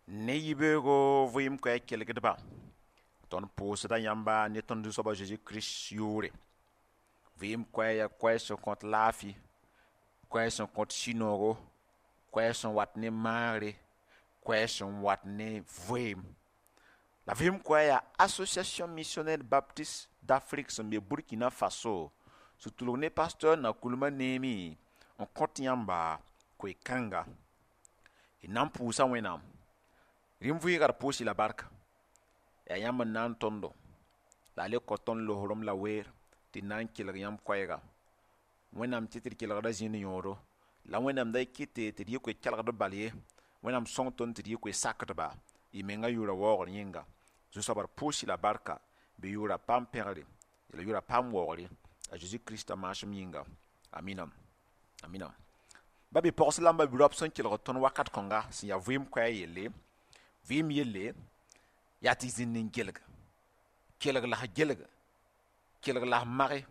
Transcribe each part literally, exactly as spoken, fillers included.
Ne yibeoogo vɩɩm koɛɛg kelgdba, tõnd pʋʋsda yãmba ne tõnd Zu-soaba Zeezi Kirist yʋʋre. Vɩɩm koɛɛg yaa koɛɛg sẽn kõt laafɩ, koɛɛg sẽn kõt sũ-noogo, koɛɛg sẽn wat ne maagre, koɛɛg sẽn wat ne vɩɩm. La vɩɩm koɛɛg yaa Association Missionnaire Baptiste d'Afrique sẽn be Burkina Faso sẽn tʋlg ne pasteur Nakoulma Neemi n kõt yãmba koe-kãnga. D na n pʋʋsa Wẽnnaam. Rĩm vɩɩga d pʋʋs-y la barka. Yaa yãmb n na n tõndo la a le kao tõnd losrem la weer tɩ d na n kelg yãmb koɛɛga. Wẽnnaam tɩ tɩ d kelgda zĩnd yõodo, la Wẽnnaam da kɩte tɩ d yɩ koe-kelgd bal ye. Wẽnnaam sõng tõnd tɩ d yɩ koe-sakdba y menga yʋʋra waoogr yĩnga. Zu-soaba d pʋʋs-y la barka bɩ yʋʋra paam pẽgre la yʋʋra paam waoogre a Zeezi Kirista maasem yĩnga. Amina. Amina. Ba bi-pogs la b ba bi-raop sẽn kelg tõnd wakat kõnga sẽn yaa vɩɩm koɛɛg yelle, vɩɩm yelle yaa tɩ zĩnd n gelg, kelg la f gelg, kelg la f mage,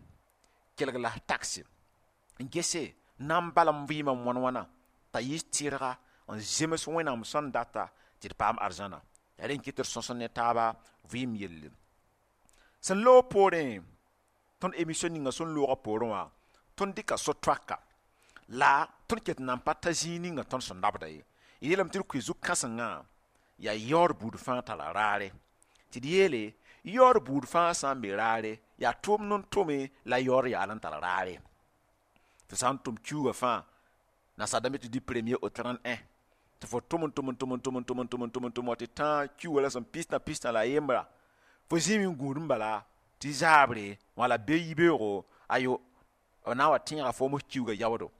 kelg la f tagse, n gese na n bal n vɩɩmã wãn wãna t'a yɩ tɩrga n zems Wẽnnaam sẽn data tɩ d paam arzãna. Yaa rẽ n kɩt tɩ d sõs ne taaba vɩɩm yelle. Sẽn loog poorẽ, tõnd émission ninga sẽn loogã poorẽ wã, tõnd dɩka so-toaka la tõnd ket n nan pa ta zĩig ninga tõnd sẽn dabda ye. D yeelame tɩ d koe zu-kãsengã yaa yaood buud fãa tara raare. Tɩ d yeele yaood buud fãa sã n be raare, yaa tʋʋmd n tʋme la yaood yaal n tar raare. Tɩ sã n tʋm kiuugã fãa, nasaar dãmb tɩ du premier au trente et un, tɩ fo tʋm n tʋm n tʋm n tʋm n tʋm n tʋm n tʋm n tʋm wa tɩ tã kiuugã la sẽn pistã pistã la a yembra, fo zĩime n gũud n bala tɩ zaabre wã la be yibeoogo, ayo b na n wa tẽega foom f kiuugã yaoodo.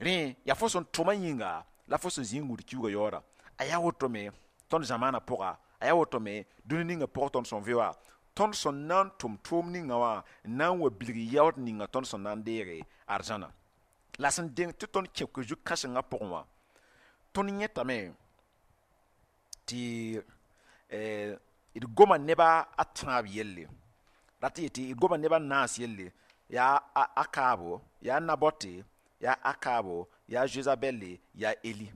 Rẽ yaa fo sẽn tʋmã yĩnga la fo sẽn zĩ n gũud kiuugã yaooda. A yaa woto me tõnd zamaana pʋga, a yaa woto me dũni ninga pʋgẽ tõnd sẽn vɩ wã, tõnd sẽn na n tʋm tʋʋm ninga wã n na n wa bilg yaood ninga tõnd sẽn na n deege arzãna. La sẽn deng tɩ tõnd kẽ koe-zu-kãsengã pʋgẽ wã, tõnd yẽtame tɩ d goma neba a tãab yelle, rat n yetɩ d goma neba a naas yelle, yaa Akaabo, yaa Nabɔte, yaa Akaabo, yaa Zezabɛle, yaa Eli.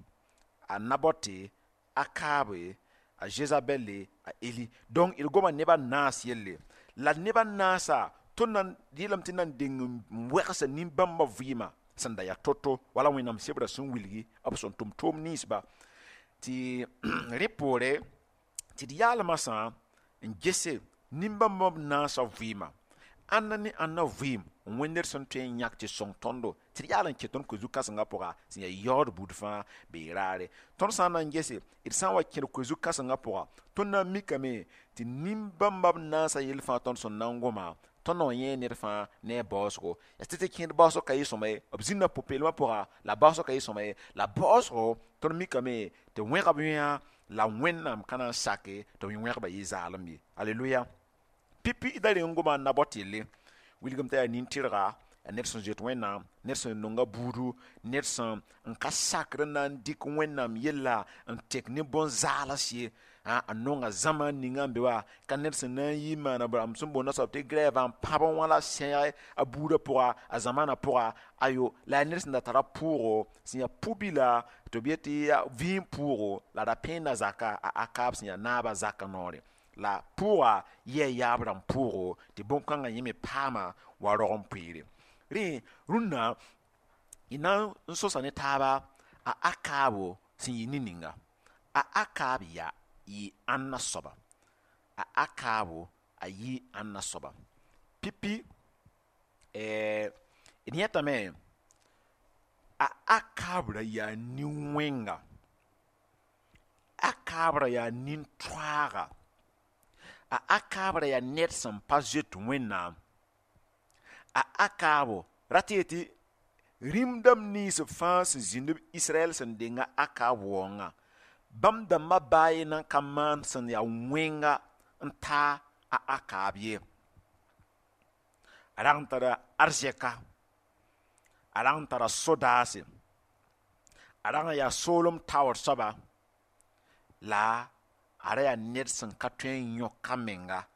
A Nabɔte, Akaabe, a Zezabɛle, a Eli. Donc d goma neba naas yelle. La neba naasa tõnd na n yeelame tɩ na n deng n wɛgsa nin-bãmbã vɩɩmã sẽn da yaa to-to wala Wẽnnaam sebrã sẽn wilgi b sẽn tʋm tʋʋm ninsba. Tɩ rẽ poore tɩ d yaalmã sã n gese nin-bãmbã b naasã vɩɩmã, ãnna ne ãnna vɩɩm n wẽnd ned sẽn tõe n yãk tɩ sõng tõndo tɩ d yaal n kẽ tõnd koe-zu-kãsengã pʋga sẽn yaa yaood buud fãa bee raare. Tõnd sã n na n gese, d sã n wa kẽd koe-zu-kãsengã pʋga, tõnd na n mikame tɩ nin-bãmba b naasã yell fãa tõnd sẽn na n goma, tõnd na n yẽ ned fãa ne a baoosgo. Yaa tɩ tɩ kẽed baoosg ka yɩ sõma ye, b zĩnda pʋ-peelmã pʋga la baoosg ka yɩ sõma ye. La baoosgo tõnd mikame tɩ wẽgb yã la Wẽnnaam ka na n sake tɩ b wẽgba yɩ zaalem ye. Aleluya. Pipi da reng n goma a Nabɔt yelle, wilgem t'a yaa nin-tɩrga, yaa ned sẽn zoet Wẽnnaam, ned sẽn nonga buudu, ned sẽn n ka sakr n na n dɩk Wẽnnaam yella n tek ne bõn-zaals ye. A nonga zãma ninga n be wa ka ned sẽn na n yi n maana rãmb sẽn boond soab tɩ grève n pãb n wã la sẽeg a buudã pʋga, a zamaanã pʋga, ayo la yaa ned sẽn da tara pʋʋgo sẽn yaa pu-bila tɩ b yet tɩ yaa vĩig pʋʋgo la ra pẽenda zaka a Akaab sẽn yaa naabã zakã noore. La pʋʋga yɛɛ yaab rãmb pʋʋgo tɩ bõn-kãngã yẽ me paama wa rog n pʋɩɩre. Rẽ rũnnã y na n sosa ne taaba a Akaabo sẽn yɩ ne-ninga. A Akaab yaa yɩ ãnna soaba? A Akaabo a yɩ ãnna soaba? Pipi d yẽtame a Akaab ra yaa nin-wẽnga, Akaab ra yaa nin-toaaga, a Akaab ra yaa ned sẽn pa zoet Wẽnnaam. A Akaabo rat n yetɩ rĩm dãmb nins fãa sẽn zĩnd b Israɛl sẽn denga Akaab waoongã, bãmb dãmbã baa ye nan ka maan sẽn yaa wẽnga n taa a Akaab ye. A rag n tara arzɛka, a rag n tara sodaase, a rag n yaa soolem taoor soaba, la a ra yaa ned sẽn ka tõe n yõk a menga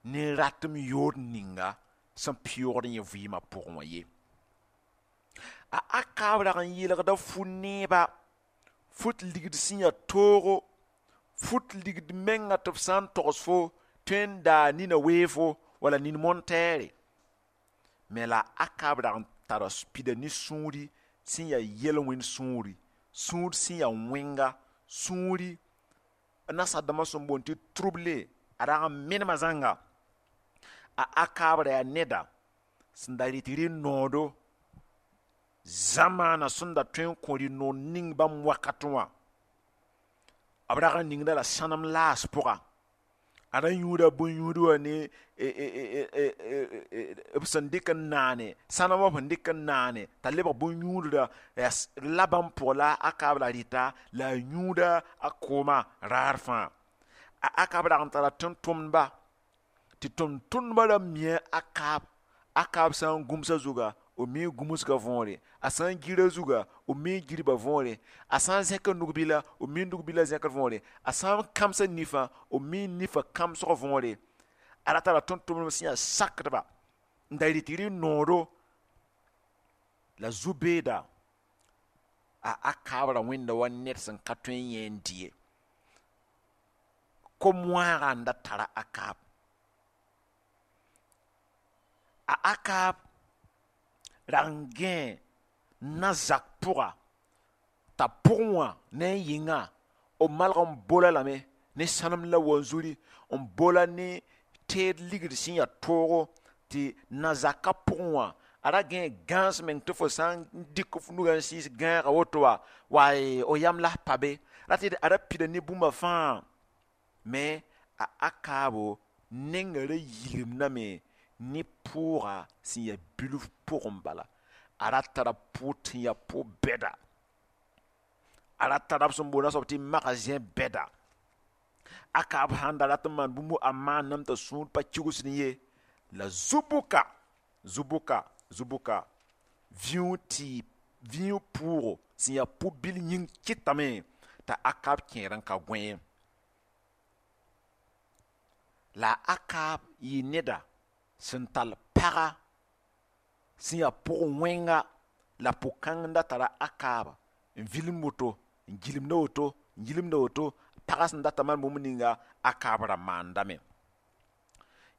ne ratem yood ninga sẽn pɩʋʋgd yẽ vɩɩmã pʋgẽ wã ye. A Akaab rag n yeelgda fu-neeba, fut ligd sẽn yaa toogo, Fut ligd menga tɩ f sã n togs fo tõe n daa nina weefo wala nin montɛɛre. Me la Akab rag n tara pida ne sũuri sẽn yaa yel-wẽnd sũuri, sũur sẽn yaa wẽnga sũuri, nasadãmbã sẽn boond tɩ trouble, a rag n menema zãnga. A Akab ra yaa neda sẽn da rɩt rɩ-noodo zamaana sẽn da tõe n kõ rɩ-nood ning bãmb wakatẽ wã. B rag n ningda la sãnem laas pʋga, a ra yũuda bõn-yũud wã ne b sẽn dɩk n naane sãnem wã sẽn dɩk n naane t'a lebg bõn-yũudra la bãmb pʋgã la Akab la rɩta la a yũuda a koomã raar fãa. A Akab rag n tara tʋm-tʋmdba tɩ tʋm-tʋmdbã ra mia Akab. Akab sã n gũmsa zuga, b mi gũmsgã võore, a sã n gira zuga, b mi girba võore, a sã n zẽk nug-bila, b mi nug-bila zẽkr võore, a sã n kãmsa nifã, b mi nifã kãmsg võore. A ra tara tʋm-tʋmdb sẽn yaa sakdba n da rɩt rɩ-noodo la zu-beeda. A Akab ra wẽnda wa ned sẽn ka tõe n yẽ n dɩ ye. Kom-wãagã n da tara Akab. A Akab rag n gãe na-zak pʋga t'a pʋgẽ wã ne a yɩnga b malg n bola lame ne sãnem la wanzuri, n bola ne teed ligd sẽn yaa toogo tɩ na-zakã pʋgẽ wã a ra gãe gãas meng tɩ fo sã n dɩk f nugã n sɩɩs gãagã woto wa waay o yam la pa be rat tɩ a ra pida ne bũmba fãa. Me a Akaabo nengã ra yilimdame ne pʋʋga sẽn yaa bilf pʋgẽ bala. A ra tara pʋʋd sẽn yaa pʋ-bɛda, a ra tara b sẽn boond a soab tɩ magazẽ bɛda. Akab sãn da rat n maan bũmb a maaname t'a sũur pa kigsd ye. La zu-bʋka zu-bʋka zu-bʋka vĩug tɩ vĩug pʋʋgo sẽn yaa pʋ-bil yĩng kɩtame t'a Akab kẽer n ka gõe ye. La Akab yɩ neda sẽn tall paga sẽn yaa pʋg-wẽnga, la pʋg-kãng n da tara Akab n vilem woto, n gilemda woto, n gilemda woto. Pagã sẽn data maan bũmb ninga Akab ra maandame.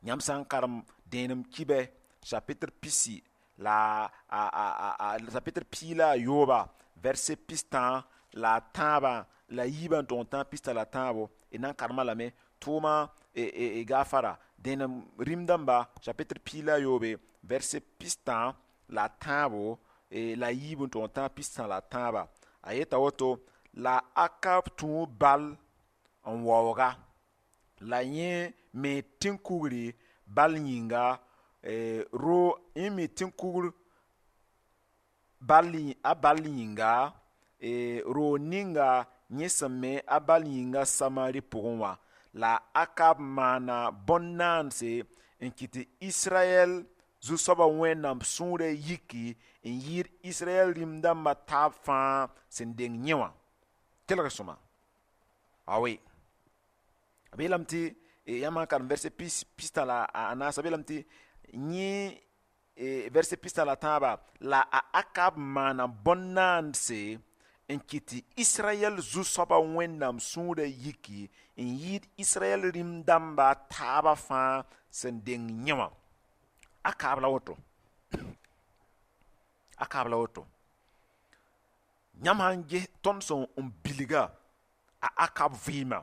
Yãmb sã n karem dẽenem kibɛ chapitre pisi la a, a, a, a, chapitre piig la a yooba, verset pistã la a tãabã la yiibã n tʋg n tãag pistã la tãabo, d na n karema lame tʋʋma e, e, e gafara dẽenem rĩm dãmba chapitre piig la a yoobe, verset pistã la a tãabo e, la yiib n tʋg n tãag pistã la a tãaba. A yeta woto: la Akab tũu bal n waooga, la yẽ me tẽn-kugri bal yĩnga e, ro yẽ me tẽn-kugr bal a bal yĩnga e, roog ninga yẽ sẽn me a bal yĩnga Samari pʋgẽ wã. La Akab maana bõn-naandse n kɩt tɩ Israyɛl zu-soabã Wẽnnaam sũurã yiki n yɩɩd Israyɛl rĩm-dãmbã taab fãa sẽn deng yẽ wã. Kelg sõma awe b yeelame tɩ yãmb sã n karem verset pistã la a naasã, b yeelame tɩ yẽ verset pistã la tãabã la a Akab maana bõn-naandse n kɩt tɩ Israyɛl zu-soabã Wẽnnaam sũurã yiki n yɩɩd Israyɛl rĩm-dãmba taabã fãa sẽn deng yẽ wã. Akab la woto, Akab la woto. Yãmb sã n ges tõnd sẽn n bilga a Akab vɩɩmã,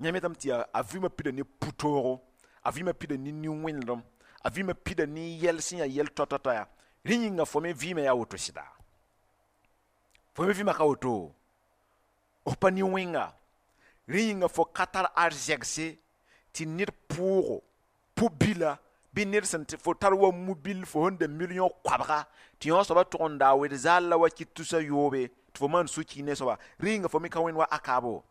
yãmb yetame tɩ a vɩɩmã pida ne pu-toogo, a vɩɩmã pida ne nin-wẽnedem, a vɩɩmã pida ne yɛl sẽn yaa yɛl toa-toa yaa rẽ yĩnga fo me vɩɩmã yaa woto sɩda. Fo me vɩɩmã ka woto, f pa nin-wẽnga. Rẽ yĩnga fo ka tar arzɛgse tɩ ned pʋʋgo pʋ-bila bɩ ned sẽn tɩ fo tar wa mu-bil fo sẽn da million koabga tɩ yõ soabã tʋg n daa wed zaal la wa kɩt tusa yoobe tɩ fo maan su-ki ne soaba. Rẽ yĩnga fo me ka wẽnd wa Akabo.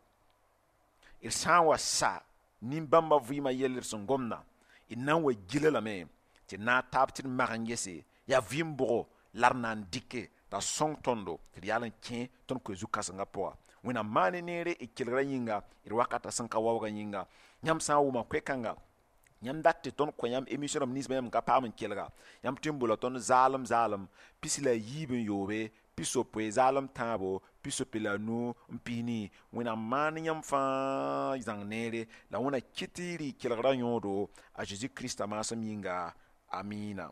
D sã n wa sa nin-bãmbã vɩɩmã yell d sẽn gomda, d na n wa gila lame tɩ d na n taab tɩ d mag n gese yaa vɩɩm bʋgo la d na n dɩke t'a sõng tõndo tɩ d yaal n kẽ tõnd koe zu-kãsengã pʋga. Wẽnnaam maan neere d kelgra yĩnga, d wakata sẽn ka waoogã yĩnga. Yãmb sã n wʋma koe-kãnga, yãmb dat tɩ tõnd kõ yãmb émission rãmb ninsbã yãmb ka paam n kelga, yãmb tõe n bola tõnd zaalem zaalem pis la a yiib n yoobe, pisopoe zaalem tãabo. pisopoe la nu n pisni. Wẽnnaam maan yãmb fãa zãng neere la Wẽnna kɩt tɩ y rɩ kelgrã yõodo a Zeezi Krista maasem yĩnga. Amina.